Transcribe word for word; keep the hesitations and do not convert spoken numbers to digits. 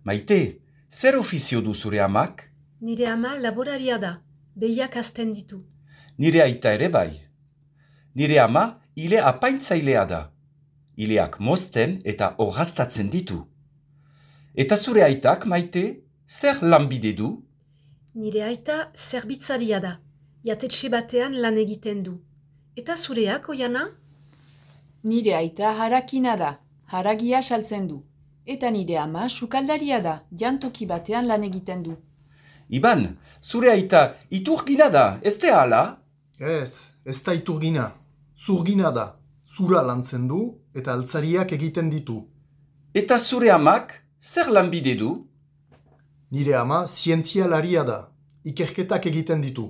Maite, zer ofizio du zure amak? Nire ama laboraria da, behiak hazten ditu. Nire aita ere bai. Nire ama ile apaintzailea da. Ileak mozten eta orraztatzen ditu. Eta zure aitak, Maite, zer lanbide du? Nire aita zerbitzaria da, jatetxe batean lan egiten du. Eta zureak, Oiana? Nire aita harakina da, haragia saltzen du. Eta nire ama sukaldaria da, jantoki batean lan egiten du. Iban, zure aita iturgina da, ez da hala? Ez, ez da iturgina. Zurgina da. Zura lantzen du eta altzariak egiten ditu. Eta zure amak zer lanbide du? Nire ama zientzialaria da. Ikerketak egiten ditu.